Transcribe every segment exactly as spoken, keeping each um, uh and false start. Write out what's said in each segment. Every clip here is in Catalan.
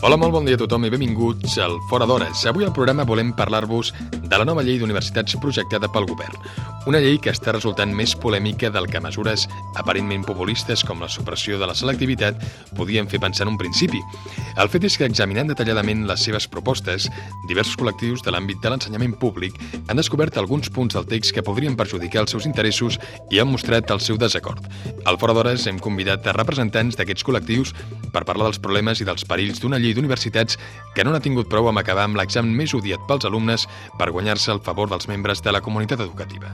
Hola, molt bon dia a tothom i benvinguts al Fora d'Hores. Avui al programa volem parlar-vos de la nova llei d'universitats projectada pel govern. Una llei que està resultant més polèmica del que mesures aparentment populistes com la supressió de la selectivitat podien fer pensar en un principi. El fet és que, examinant detalladament les seves propostes, diversos col·lectius de l'àmbit de l'ensenyament públic han descobert alguns punts del text que podrien perjudicar els seus interessos i han mostrat el seu desacord. Al Fora d'Hores hem convidat a representants d'aquests col·lectius per parlar dels problemes i dels perills d'una llei d'universitats que no n'ha tingut prou amb acabar amb l'examen més odiat pels alumnes per guanyar-se el favor dels membres de la comunitat educativa.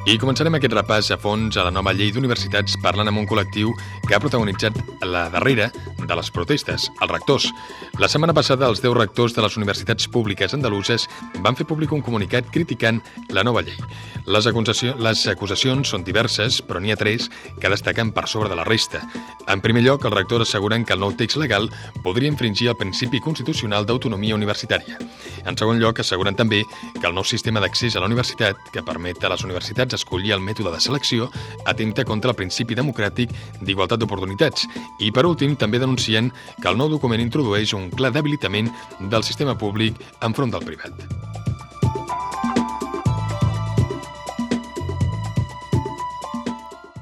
I començarem aquest repàs a fons a la nova llei d'universitats parlant amb un col·lectiu que ha protagonitzat la darrera de les protestes, els rectors. La setmana passada, els deu rectors de les universitats públiques andaluses van fer públic un comunicat criticant la nova llei. Les, acusació, les acusacions són diverses, però n'hi ha tres que destaquen per sobre de la resta. En primer lloc, els rectors asseguren que el nou text legal podria infringir el principi constitucional d'autonomia universitària. En segon lloc, asseguren també que el nou sistema d'accés a la universitat, que permet a les universitats escollir el mètode de selecció, atempta contra el principi democràtic d'igualtat d'oportunitats. I, per últim, també denuncien que el nou document introdueix un clar debilitament del sistema públic enfront del privat.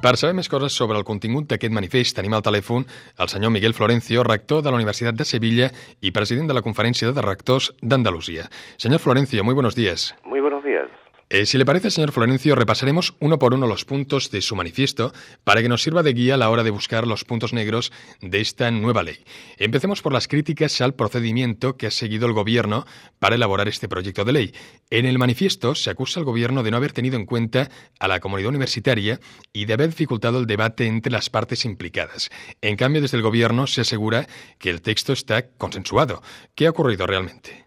Per saber més coses sobre el contingut d'aquest manifest, tenim al telèfon el senyor Miguel Florencio, rector de la Universitat de Sevilla y president de la Conferència de Rectors d'Andalucía. Señor Florencio, muy buenos días. Muy buenos días. Eh, si le parece, señor Florencio, repasaremos uno por uno los puntos de su manifiesto para que nos sirva de guía a la hora de buscar los puntos negros de esta nueva ley. Empecemos por las críticas al procedimiento que ha seguido el Gobierno para elaborar este proyecto de ley. En el manifiesto se acusa al Gobierno de no haber tenido en cuenta a la comunidad universitaria y de haber dificultado el debate entre las partes implicadas. En cambio, desde el Gobierno se asegura que el texto está consensuado. ¿Qué ha ocurrido realmente?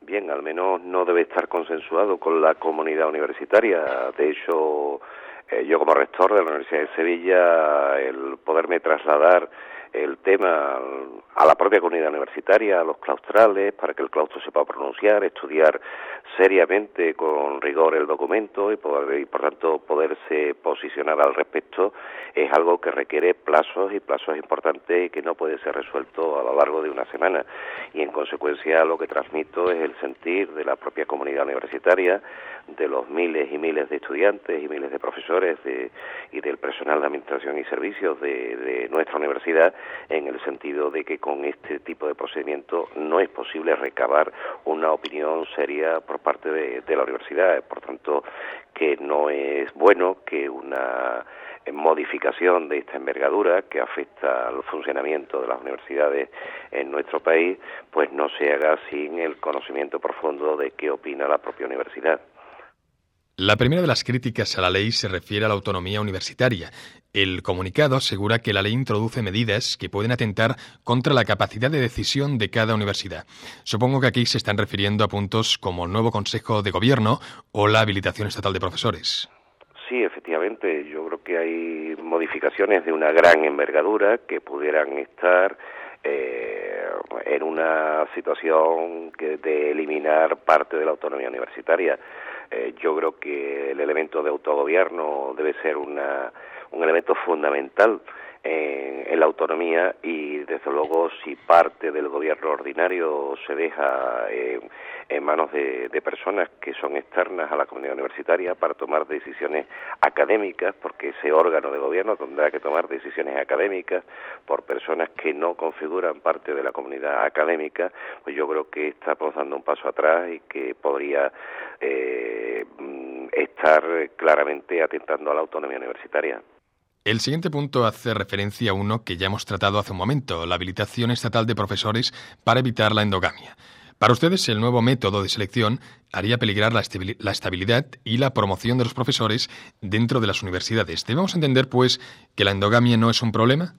Bien, al menos no debe estar consensuado con la comunidad universitaria. De hecho, eh, yo como rector de la Universidad de Sevilla, el poderme trasladar el tema a la propia comunidad universitaria, a los claustrales, para que el claustro sepa pronunciar, estudiar seriamente, con rigor, el documento y, poder, y por tanto poderse posicionar al respecto, es algo que requiere plazos y plazos importantes y que no puede ser resuelto a lo largo de una semana. Y en consecuencia lo que transmito es el sentir de la propia comunidad universitaria, de los miles y miles de estudiantes y miles de profesores de, y del personal de administración y servicios de, de nuestra universidad, en el sentido de que con este tipo de procedimiento no es posible recabar una opinión seria por parte de, de la universidad. Por tanto, que no es bueno que una modificación de esta envergadura que afecta al funcionamiento de las universidades en nuestro país, pues no se haga sin el conocimiento profundo de qué opina la propia universidad. La primera de las críticas a la ley se refiere a la autonomía universitaria. El comunicado asegura que la ley introduce medidas que pueden atentar contra la capacidad de decisión de cada universidad. Supongo que aquí se están refiriendo a puntos como el nuevo Consejo de Gobierno o la habilitación estatal de profesores. Sí, efectivamente, yo creo que hay modificaciones de una gran envergadura que pudieran estar eh, en una situación que de eliminar parte de la autonomía universitaria. Eh, yo creo que el elemento de autogobierno debe ser una, un elemento fundamental en, en la autonomía y, desde luego, si parte del gobierno ordinario se deja eh, en manos de, de personas que son externas a la comunidad universitaria para tomar decisiones académicas, porque ese órgano de gobierno tendrá que tomar decisiones académicas por personas que no configuran parte de la comunidad académica, pues yo creo que estamos dando un paso atrás y que podría eh, estar claramente atentando a la autonomía universitaria. El siguiente punto hace referencia a uno que ya hemos tratado hace un momento, la habilitación estatal de profesores para evitar la endogamia. Para ustedes, el nuevo método de selección haría peligrar la estabilidad y la promoción de los profesores dentro de las universidades. ¿Debemos entender, pues, que la endogamia no es un problema?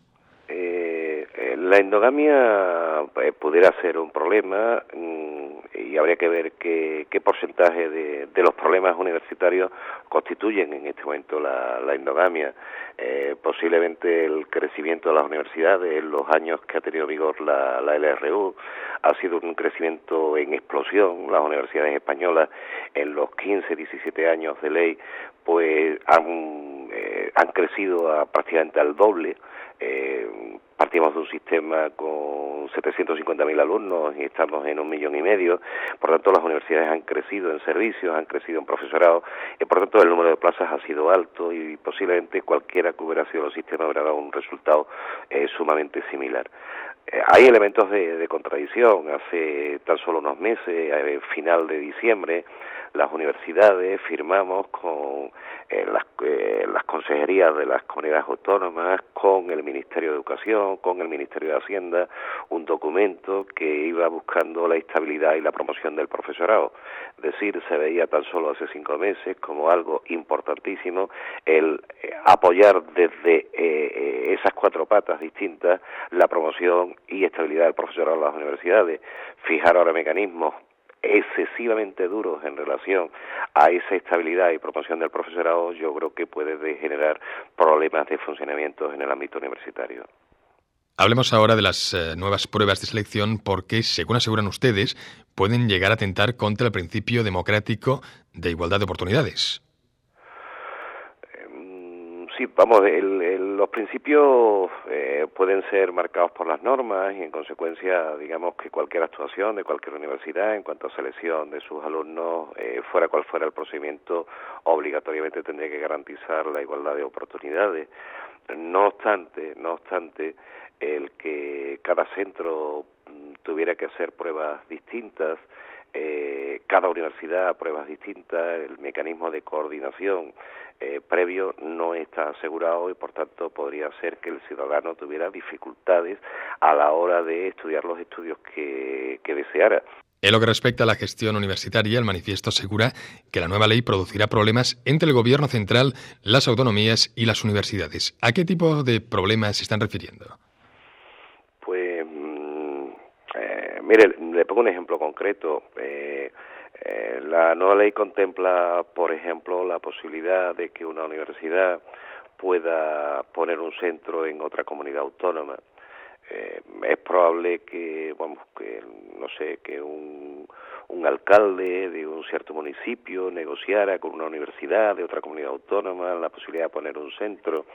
Eh, la endogamia eh, pudiera ser un problema mmm, y habría que ver qué, qué porcentaje de, de los problemas universitarios constituyen en este momento la, la endogamia. Eh, posiblemente el crecimiento de las universidades en los años que ha tenido vigor la, la L R U ha sido un crecimiento en explosión. Las universidades españolas en los quince, diecisiete años de ley pues han, eh, han crecido a, prácticamente al doble. Eh, partimos de un sistema con setecientos cincuenta mil alumnos y estamos en un millón y medio. Por tanto, las universidades han crecido en servicios, han crecido en profesorado, y por tanto el número de plazas ha sido alto, y posiblemente cualquiera que hubiera sido el sistema hubiera dado un resultado eh, sumamente similar. Eh, hay elementos de, de contradicción. Hace tan solo unos meses, eh, final de diciembre, las universidades firmamos con eh, las, eh, las consejerías de las comunidades autónomas, con el Ministerio de Educación, con el Ministerio de Hacienda, un documento que iba buscando la estabilidad y la promoción del profesorado. Es decir, se veía tan solo hace cinco meses como algo importantísimo el eh, apoyar desde eh, esas cuatro patas distintas la promoción y estabilidad del profesorado en las universidades. Fijar ahora mecanismos excesivamente duros en relación a esa estabilidad y promoción del profesorado, yo creo que puede generar problemas de funcionamiento en el ámbito universitario. Hablemos ahora de las eh, nuevas pruebas de selección porque, según aseguran ustedes, pueden llegar a atentar contra el principio democrático de igualdad de oportunidades. Sí, vamos, el, el, los principios eh, pueden ser marcados por las normas, y en consecuencia, digamos que cualquier actuación de cualquier universidad en cuanto a selección de sus alumnos, eh, fuera cual fuera el procedimiento, obligatoriamente tendría que garantizar la igualdad de oportunidades. No obstante, no obstante, el que cada centro tuviera que hacer pruebas distintas, eh, cada universidad pruebas distintas, el mecanismo de coordinación eh, previo no está asegurado, y por tanto podría ser que el ciudadano tuviera dificultades a la hora de estudiar los estudios que, que deseara. En lo que respecta a la gestión universitaria, el manifiesto asegura que la nueva ley producirá problemas entre el gobierno central, las autonomías y las universidades. ¿A qué tipo de problemas se están refiriendo? Pues, eh, mire, le pongo un ejemplo concreto. Eh, eh, la nueva ley contempla, por ejemplo, la posibilidad de que una universidad pueda poner un centro en otra comunidad autónoma. Eh, es probable que, vamos, que no sé, que un, un alcalde de un cierto municipio negociara con una universidad de otra comunidad autónoma la posibilidad de poner un centro,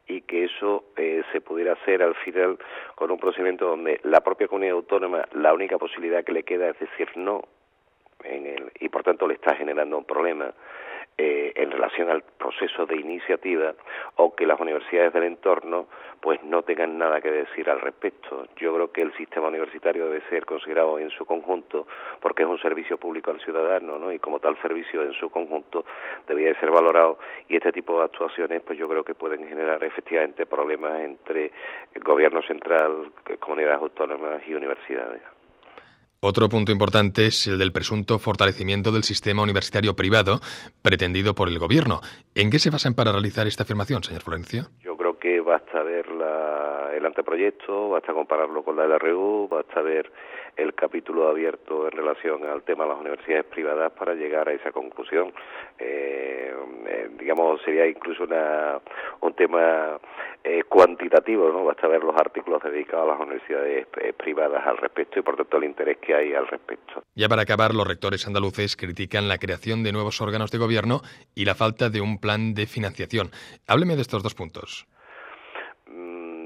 y que eso eh, se pudiera hacer al final con un procedimiento donde la propia comunidad autónoma, la única posibilidad que le queda es decir no, en el, y por tanto le está generando un problema eh, en relación al proceso de iniciativa, o que las universidades del entorno pues no tengan nada que decir al respecto. Yo creo que el sistema universitario debe ser considerado en su conjunto, porque es un servicio público al ciudadano, ¿no? Y como tal servicio en su conjunto debía de ser valorado, y este tipo de actuaciones pues yo creo que pueden generar efectivamente problemas entre el gobierno central, comunidades autónomas y universidades. Otro punto importante es el del presunto fortalecimiento del sistema universitario privado pretendido por el gobierno. ¿En qué se basan para realizar esta afirmación, señor Florencio? Yo creo que basta ver la, el anteproyecto, basta compararlo con la L R U, basta ver el capítulo abierto en relación al tema de las universidades privadas para llegar a esa conclusión. Eh, eh, digamos, sería incluso una, un tema eh, cuantitativo, ¿no? Basta ver los artículos dedicados a las universidades eh, privadas al respecto, y por tanto el interés que hay al respecto. Ya para acabar, los rectores andaluces critican la creación de nuevos órganos de gobierno y la falta de un plan de financiación. Hábleme de estos dos puntos.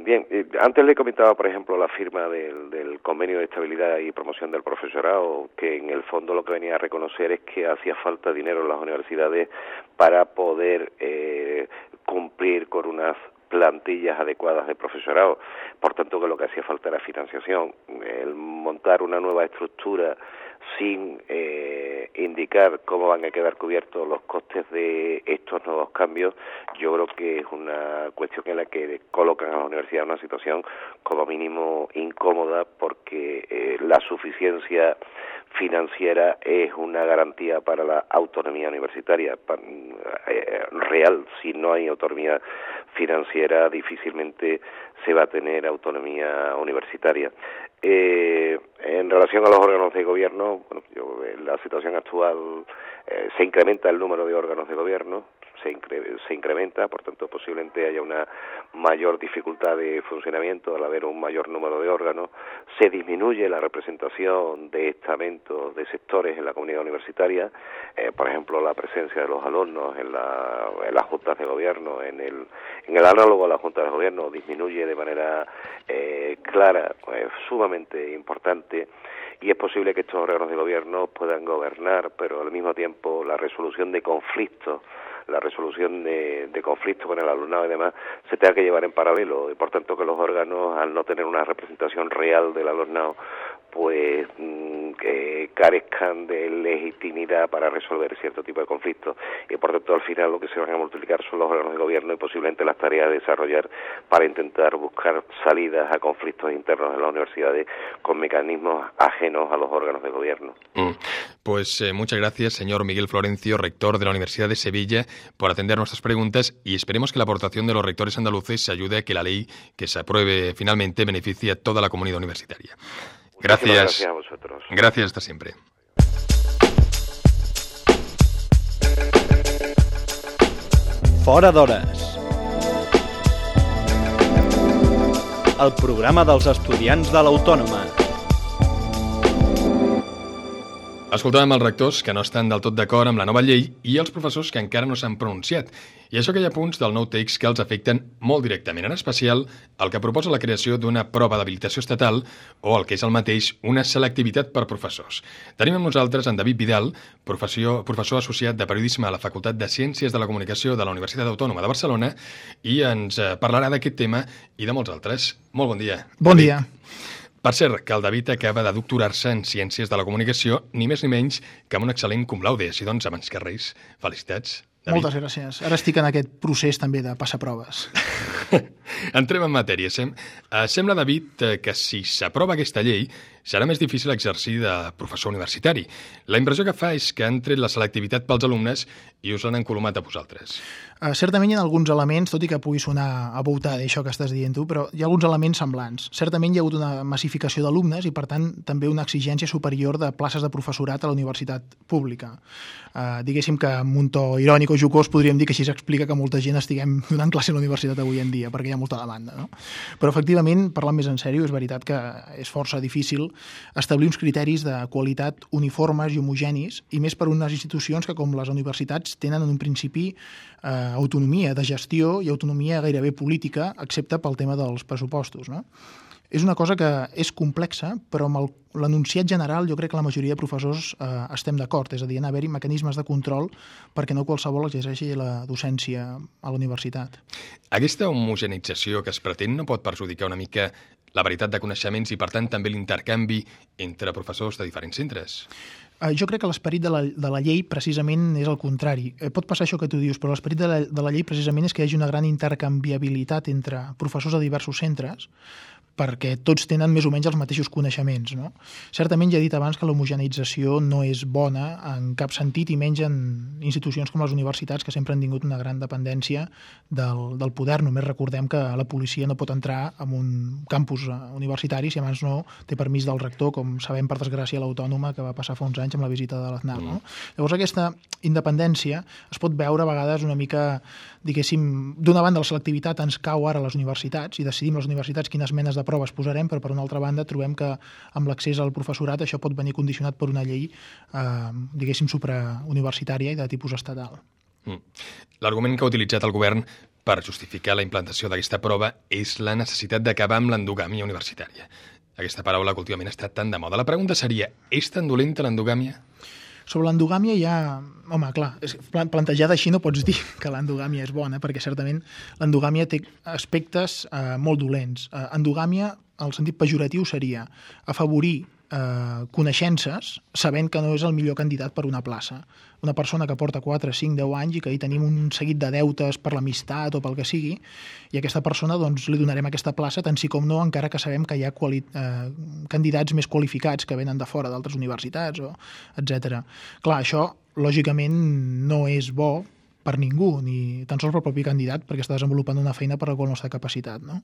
Bien, eh, antes le comentaba, por ejemplo, la firma del, del Convenio de Estabilidad y Promoción del Profesorado, que en el fondo lo que venía a reconocer es que hacía falta dinero en las universidades para poder eh, cumplir con unas plantillas adecuadas de profesorado. Por tanto, que lo que hacía falta era financiación. El montar una nueva estructura sin eh, indicar cómo van a quedar cubiertos los costes de estos nuevos cambios, yo creo que es una cuestión en la que colocan a la universidad en una situación como mínimo incómoda, porque eh, la suficiencia financiera es una garantía para la autonomía universitaria para, eh, real. Si no hay autonomía financiera difícilmente se va a tener autonomía universitaria. Eh, en relación a los órganos de gobierno, bueno, yo, en la situación actual eh, se incrementa el número de órganos de gobierno, se, incre se incrementa, por tanto posiblemente haya una mayor dificultad de funcionamiento al haber un mayor número de órganos, se disminuye la representación de estamentos, de sectores en la comunidad universitaria, eh, por ejemplo la presencia de los alumnos en, la, en las juntas de gobierno, en el, en el análogo a las juntas de gobierno disminuye de manera eh, clara, pues, sumamente importante, y es posible que estos órganos de gobierno puedan gobernar, pero al mismo tiempo la resolución de conflictos, la resolución de, de conflictos con el alumnado y demás, se tenga que llevar en paralelo, y por tanto que los órganos, al no tener una representación real del alumnado, pues mmm, que carezcan de legitimidad para resolver cierto tipo de conflictos, y por tanto al final lo que se van a multiplicar son los órganos de gobierno y posiblemente las tareas de desarrollar para intentar buscar salidas a conflictos internos en las universidades con mecanismos ajenos a los órganos de gobierno. Mm. Pues eh, muchas gracias, señor Miguel Florencio, rector de la Universidad de Sevilla, por atender nuestras preguntas, y esperemos que la aportación de los rectores andaluces ayude a que la ley que se apruebe finalmente beneficie a toda la comunidad universitaria. Gracias. Gracias a vosotros. Gracias, hasta siempre. Fora d'hores. El programa dels estudiants de l'Autònoma. Escoltàvem els rectors que no estan del tot d'acord amb la nova llei i els professors que encara no s'han pronunciat. I això que hi ha punts del nou text que els afecten molt directament, en especial el que proposa la creació d'una prova d'habilitació estatal o el que és el mateix, una selectivitat per professors. Tenim amb nosaltres en David Vidal, professor, professor associat de periodisme a la Facultat de Ciències de la Comunicació de la Universitat Autònoma de Barcelona, i ens parlarà d'aquest tema i de molts altres. Molt bon dia. Bon David. dia. Per cert, que el David acaba de doctorar-se en Ciències de la Comunicació, ni més ni menys que amb un excel·lent cum laude. Així doncs, abans que res, felicitats, David. Moltes gràcies. Ara estic en aquest procés també de passar proves. Entrem en matèria. Sem uh, sembla, David, que si s'aprova aquesta llei serà més difícil exercir de professor universitari. La impressió que fa és que han tret la selectivitat pels alumnes i us l'han encolomat a vosaltres. Uh, certament hi ha alguns elements, tot i que pugui sonar aboutada això que estàs dient tu, però hi ha alguns elements semblants. Certament hi ha hagut una massificació d'alumnes i, per tant, també una exigència superior de places de professorat a la universitat pública. Uh, diguéssim que amb un to irònic o jocós podríem dir que així s'explica que molta gent estiguem donant classe a la universitat avui en dia, perquè hi ha molta demanda, no? Però, efectivament, parlant més en sèrio, és veritat que és força difícil establir uns criteris de qualitat uniformes i homogenis, i més per unes institucions que, com les universitats, tenen en un principi eh, autonomia de gestió i autonomia gairebé política, excepte pel tema dels pressupostos, no? És una cosa que és complexa, però amb l'enunciat general jo crec que la majoria de professors eh, estem d'acord, és a dir, haver-hi mecanismes de control perquè no qualsevol exerceixi la docència a la universitat. Aquesta homogenització que es pretén no pot perjudicar una mica la varietat de coneixements i, per tant, també l'intercanvi entre professors de diferents centres? Jo crec que l'esperit de, la, de la llei precisament és el contrari. Pot passar això que tu dius, però l'esperit de, la, de la llei precisament és que hi hagi una gran intercanviabilitat entre professors de diversos centres, perquè tots tenen més o menys els mateixos coneixements, no? Certament ja he dit abans que l'homogeneïtzació no és bona en cap sentit, i menys en institucions com les universitats, que sempre han tingut una gran dependència del, del poder. Només recordem que la policia no pot entrar en un campus universitari si abans no té permís del rector, com sabem per desgràcia a l'Autònoma, que va passar fa uns anys amb la visita de l'Aznar, no? Llavors aquesta independència es pot veure a vegades una mica, diguéssim, d'una banda la selectivitat ens cau ara a les universitats i decidim les universitats quines menes de proves posarem, però per una altra banda trobem que amb l'accés al professorat això pot venir condicionat per una llei, eh, diguéssim, suprauniversitària i de tipus estatal. Mm. L'argument que ha utilitzat el govern per justificar la implantació d'aquesta prova és la necessitat d'acabar amb l'endogàmia universitària. Aquesta paraula que últimament ha estat tan de moda. La pregunta seria, és tan dolenta l'endogàmia? Sobre l'endogàmia hi ha... Home, clar, plantejada així no pots dir que l'endogàmia és bona, perquè certament l'endogàmia té aspectes eh, molt dolents. Eh, endogàmia, el sentit pejoratiu, seria afavorir eh, coneixences sabent que no és el millor candidat per una plaça. Una persona que porta quatre, cinc, deu anys i que hi tenim un seguit de deutes per l'amistat o pel que sigui, i a aquesta persona doncs, li donarem aquesta plaça, tant sí com no, encara que sabem que hi ha quali eh, candidats més qualificats que venen de fora d'altres universitats, o etcètera. Clar, això lògicament no és bo per ningú, ni tan sols pel propi candidat, perquè està desenvolupant una feina per la qual no està capacitat. No?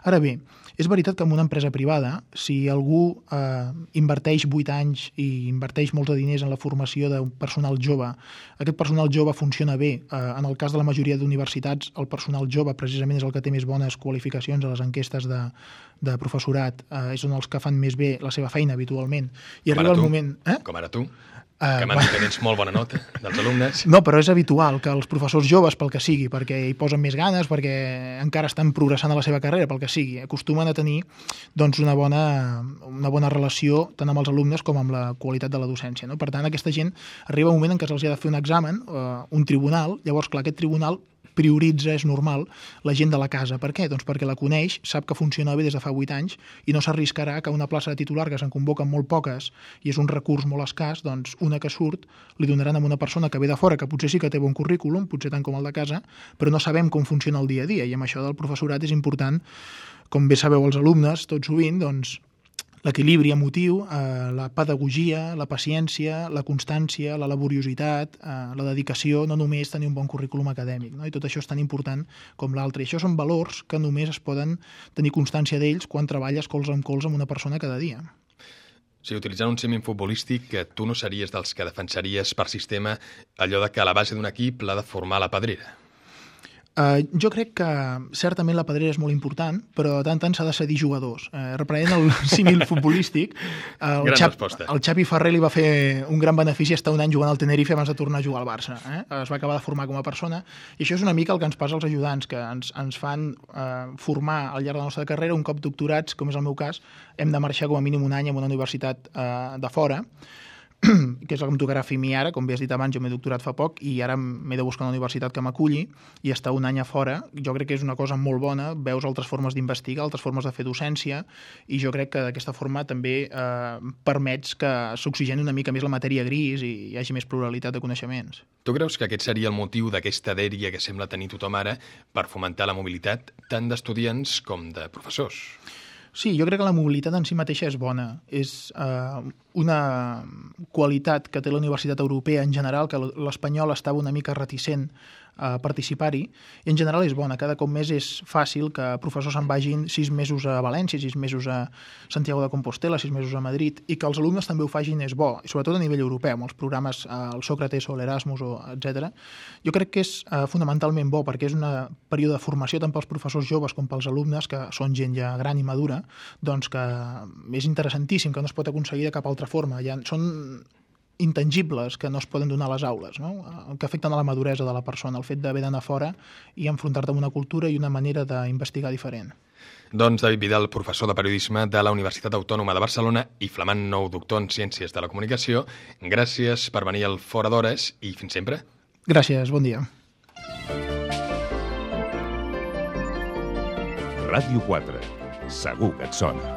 Ara bé, és veritat que en una empresa privada, si algú eh, inverteix vuit anys i inverteix molts de diners en la formació d'un personal jove, aquest personal jove funciona bé. Eh, en el cas de la majoria d'universitats, el personal jove precisament és el que té més bones qualificacions a les enquestes de, de professorat, eh, és on els que fan més bé la seva feina habitualment. I com arriba el tu, moment... Eh? Com ara tu. Que m'han dit que tens molt bona nota dels alumnes. No, però és habitual que els professors joves, pel que sigui, perquè hi posen més ganes, perquè encara estan progressant a la seva carrera, pel que sigui, acostumen a tenir doncs, una, bona, una bona relació tant amb els alumnes com amb la qualitat de la docència. No? Per tant, aquesta gent arriba un moment en què se'ls ha de fer un examen, eh, un tribunal, llavors, clar, aquest tribunal prioritza, és normal, la gent de la casa. Per què? Doncs perquè la coneix, sap que funciona bé des de fa vuit anys i no s'arriscarà que una plaça de titular que se'n convoquen molt poques i és un recurs molt escàs, doncs una que surt li donaran a una persona que ve de fora, que potser sí que té bon currículum, potser tant com el de casa, però no sabem com funciona el dia a dia i amb això del professorat és important, com bé sabeu els alumnes, tot sovint, doncs l'equilibri emotiu, eh, la pedagogia, la paciència, la constància, la laboriositat, eh, la dedicació, no només tenir un bon currículum acadèmic, no? I tot això és tan important com l'altre. I això són valors que només es poden tenir constància d'ells quan treballes colze amb colze amb una persona cada dia. Sí, utilitzant un símil futbolístic, que tu no series dels que defensaries per sistema allò de que a la base d'un equip l'ha de formar la pedrera. Uh, jo crec que certament la pedrera és molt important, però de tant en tant s'ha de cedir jugadors. Uh, reprenent el símil futbolístic, uh, el, gran Xap, resposta. El Xavi Ferrer li va fer un gran benefici estar un any jugant al Tenerife abans de tornar a jugar al Barça. Eh? Es va acabar de formar com a persona, i això és una mica el que ens passa als ajudants, que ens, ens fan uh, formar al llarg de la nostra carrera. Un cop doctorats, com és el meu cas, hem de marxar com a mínim un any en una universitat uh, de fora, que és el que em tocarà fer a mi ara. Com bé has dit abans, jo m'he doctorat fa poc i ara m'he de buscar una universitat que m'aculli i estar un any a fora. Jo crec que és una cosa molt bona, veus altres formes d'investigar, altres formes de fer docència, i jo crec que d'aquesta forma també eh, permets que s'oxigeni una mica més la matèria gris i hi hagi més pluralitat de coneixements. Tu creus que aquest seria el motiu d'aquesta dèria que sembla tenir tothom ara per fomentar la mobilitat tant d'estudiants com de professors? Sí, jo crec que la mobilitat en si mateixa és bona. És eh, una qualitat que té la Universitat Europea en general, que l'espanyol estava una mica reticent a participar-hi, i en general és bona. Cada cop més és fàcil que professors se'n vagin sis mesos a València, sis mesos a Santiago de Compostela, sis mesos a Madrid, i que els alumnes també ho facin és bo, i sobretot a nivell europeu, amb els programes, el Sócrates o l'Erasmus, etcètera. Jo crec que és eh, fonamentalment bo, perquè és un període de formació tant pels professors joves com pels alumnes, que són gent ja gran i madura, doncs que és interessantíssim, que no es pot aconseguir de cap altra forma. Ja són intangibles que no es poden donar a les aules, no? Que afecten a la maduresa de la persona, el fet d'haver d'anar fora i enfrontar-te amb una cultura i una manera d'investigar diferent. Doncs David Vidal, professor de periodisme de la Universitat Autònoma de Barcelona i flamant nou doctor en Ciències de la Comunicació, gràcies per venir al Fora d'Hores i fins sempre. Gràcies, bon dia. Ràdio quatre. Segur que et sona.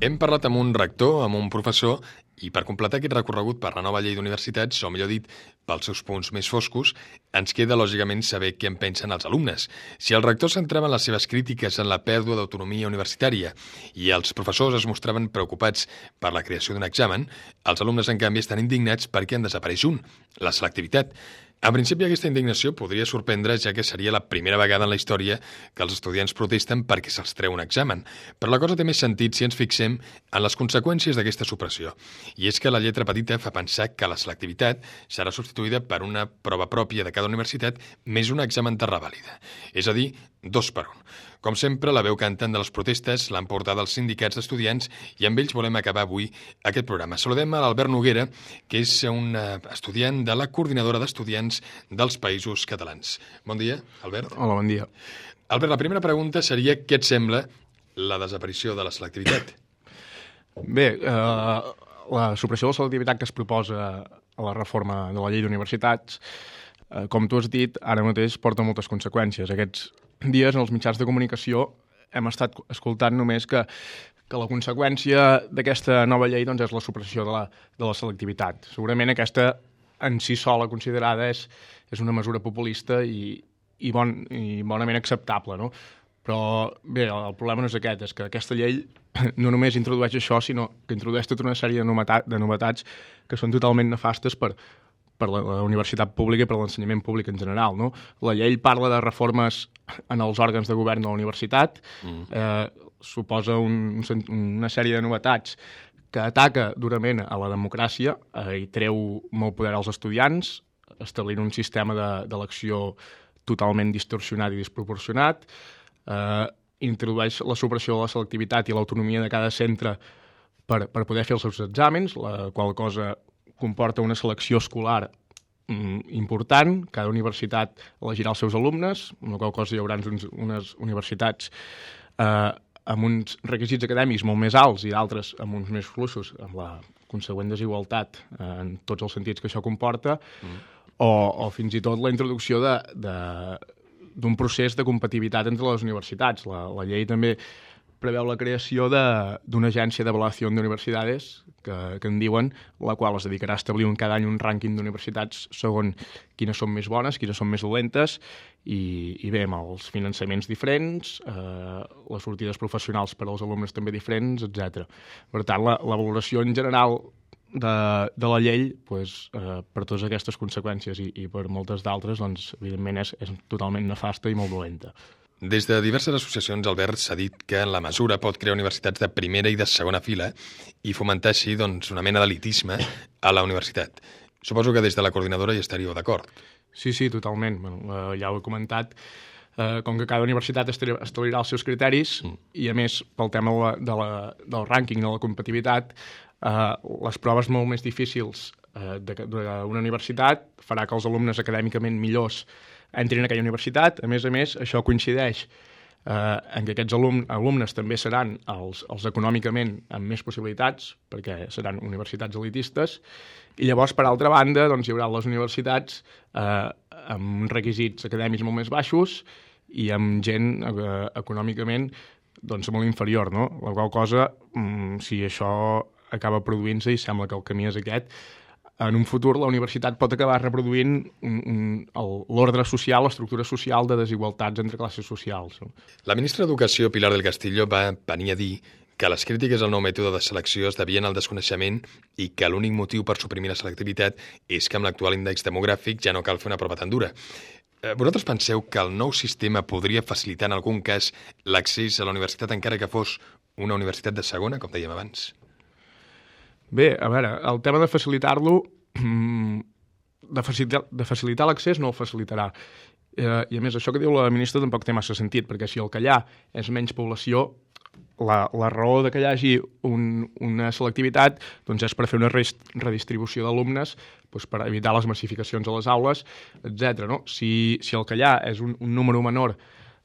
Hem parlat amb un rector, amb un professor, i per completar aquest recorregut per la nova llei d'universitats, o millor dit, pels seus punts més foscos, ens queda, lògicament, saber què en pensen els alumnes. Si el rector centrava les seves crítiques en la pèrdua d'autonomia universitària i els professors es mostraven preocupats per la creació d'un examen, els alumnes, en canvi, estan indignats perquè en desapareix un, la selectivitat. En principi, aquesta indignació podria sorprendre, ja que seria la primera vegada en la història que els estudiants protesten perquè se'ls treu un examen. Però la cosa té més sentit si ens fixem en les conseqüències d'aquesta supressió. I és que la lletra petita fa pensar que la selectivitat serà substituïda per una prova pròpia de cada universitat més un examen de revàlida. És a dir, dos per un. Com sempre, la veu cantant de les protestes l'han portat els sindicats d'estudiants i amb ells volem acabar avui aquest programa. Saludem a l'Albert Noguera, que és un estudiant de la Coordinadora d'Estudiants dels Països Catalans. Bon dia, Albert. Hola, bon dia. Albert, la primera pregunta seria què et sembla la desaparició de la selectivitat? Bé, eh, la supressió de la selectivitat que es proposa a la reforma de la llei d'universitats, eh, com tu has dit, ara mateix porta moltes conseqüències. Aquests dies en els mitjans de comunicació hem estat escoltant només que, que la conseqüència d'aquesta nova llei doncs, és la supressió de la, de la selectivitat. Segurament aquesta en si sola considerada és, és una mesura populista i, i, bon, i bonament acceptable, no? Però bé, el problema no és aquest, és que aquesta llei no només introdueix això, sinó que introdueix tota una sèrie de, novetat, de novetats que són totalment nefastes per, per la, la universitat pública i per l'ensenyament públic en general. No? La llei parla de reformes en els òrgans de govern de la universitat, mm. eh, suposa un, una sèrie de novetats que ataca durament a la democràcia eh, i treu molt poder als estudiants, establint un sistema d'elecció totalment distorsionat i desproporcionat, eh, introdueix la supressió de la selectivitat i l'autonomia de cada centre per, per poder fer els seus exàmens, la qual cosa comporta una selecció escolar mm, important. Cada universitat elegirà els seus alumnes, amb la qual cosa hi haurà uns, unes universitats eh, amb uns requisits acadèmics molt més alts i d'altres amb uns més fluixos, amb la consegüent desigualtat eh, en tots els sentits que això comporta, mm. o, o fins i tot la introducció de... de d'un procés de competitivitat entre les universitats. La, la llei també preveu la creació d'una agència d'avaluació d'universitats, que, que en diuen, la qual es dedicarà a establir un, cada any un rànquing d'universitats segons quines són més bones, quines són més dolentes, i, i bé, amb els finançaments diferents, eh, les sortides professionals per als alumnes també diferents, etcètera. Per tant, la, la valoració en general de, de la llei, pues, eh, per totes aquestes conseqüències i, i per moltes d'altres, doncs, evidentment és, és totalment nefasta i molt dolenta. Des de diverses associacions, Albert, s'ha dit que la mesura pot crear universitats de primera i de segona fila i fomentar així doncs, una mena d'elitisme a la universitat. Suposo que des de la coordinadora hi estaríeu d'acord. Sí, sí, totalment. Bueno, eh, ja ho he comentat. Eh, com que cada universitat establirà els seus criteris mm. i, a més, pel tema de la, de la, del rànquing de la competitivitat, Uh, les proves molt més difícils uh, d'una universitat farà que els alumnes acadèmicament millors entrin en aquella universitat. A més a més, això coincideix uh, en que aquests alum alumnes també seran els, els econòmicament amb més possibilitats, perquè seran universitats elitistes, i llavors, per altra banda, doncs, hi haurà les universitats uh, amb requisits acadèmics molt més baixos i amb gent uh, econòmicament doncs, molt inferior, no? La qual cosa, um, si això acaba produint-se, i sembla que el camí és aquest, en un futur la universitat pot acabar reproduint l'ordre social, l'estructura social de desigualtats entre classes socials. La ministra d'Educació, Pilar del Castillo, va venir a dir que les crítiques al nou mètode de selecció es devien al desconeixement i que l'únic motiu per suprimir la selectivitat és que amb l'actual índex demogràfic ja no cal fer una prova tan dura. Vosaltres penseu que el nou sistema podria facilitar en algun cas l'accés a la universitat encara que fos una universitat de segona, com dèiem abans? Bé, a veure, el tema de facilitar-lo, de facilitar, de facilitar l'accés no el facilitarà. Eh, I a més, això que diu la ministra tampoc té massa sentit, perquè si el que hi ha és menys població, la, la raó de que hi hagi un, una selectivitat doncs és per fer una redistribució d'alumnes, doncs per evitar les massificacions a les aules, etcètera. No? Si, si el que hi ha és un, un número menor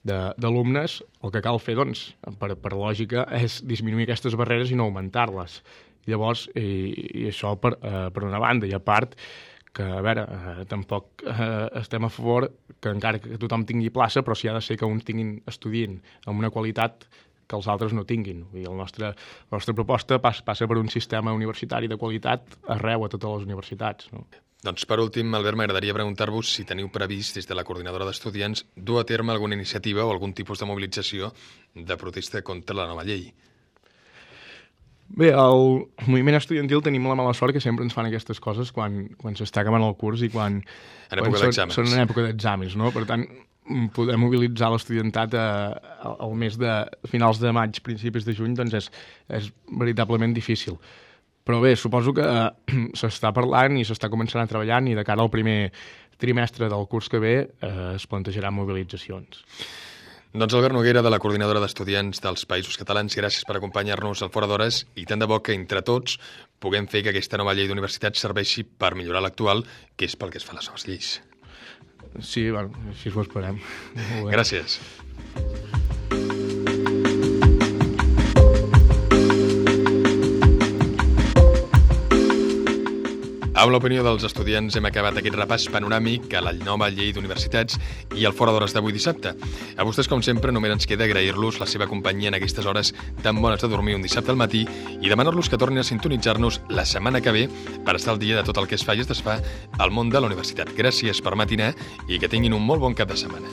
d'alumnes, el que cal fer, doncs, per, per lògica, és disminuir aquestes barreres i no augmentar-les. Llavors, i, i això per, eh, per una banda, i a part que, a veure, eh, tampoc eh, estem a favor que encara que tothom tingui plaça, però si ha de ser que uns tinguin estudient amb una qualitat que els altres no tinguin. I el nostre, la nostra proposta pas, passa per un sistema universitari de qualitat arreu a totes les universitats. No? Doncs, per últim, Albert, m'agradaria preguntar-vos si teniu previst, des de la coordinadora d'estudiants, dur a terme alguna iniciativa o algun tipus de mobilització de protesta contra la nova llei. Bé, al moviment estudiantil tenim la mala sort que sempre ens fan aquestes coses quan, quan s'està acabant el curs i quan, quan són, són en època d'exàmens, no? Per tant, poder mobilitzar l'estudiantat al mes de finals de maig, principis de juny, doncs és, és veritablement difícil. Però bé, suposo que eh, s'està parlant i s'està començant a treballar i de cara al primer trimestre del curs que ve eh, es plantejaran mobilitzacions. Doncs Albert Noguera, de la Coordinadora d'Estudiants dels Països Catalans, gràcies per acompanyar-nos al Fora d'Hores i tant de bo que entre tots puguem fer que aquesta nova llei d'universitats serveixi per millorar l'actual, que és pel que es fan les noves lleis. Sí, bueno, així ho esperem. Gràcies. Amb l'opinió dels estudiants hem acabat aquest repàs panoràmic a la nova llei d'universitats i el Fora d'Hores d'avui dissabte. A vostès, com sempre, només ens queda agrair-los la seva companyia en aquestes hores tan bones de dormir un dissabte al matí i demanar-los que tornin a sintonitzar-nos la setmana que ve per estar al dia de tot el que es fa i es desfà al món de la universitat. Gràcies per matinar i que tinguin un molt bon cap de setmana.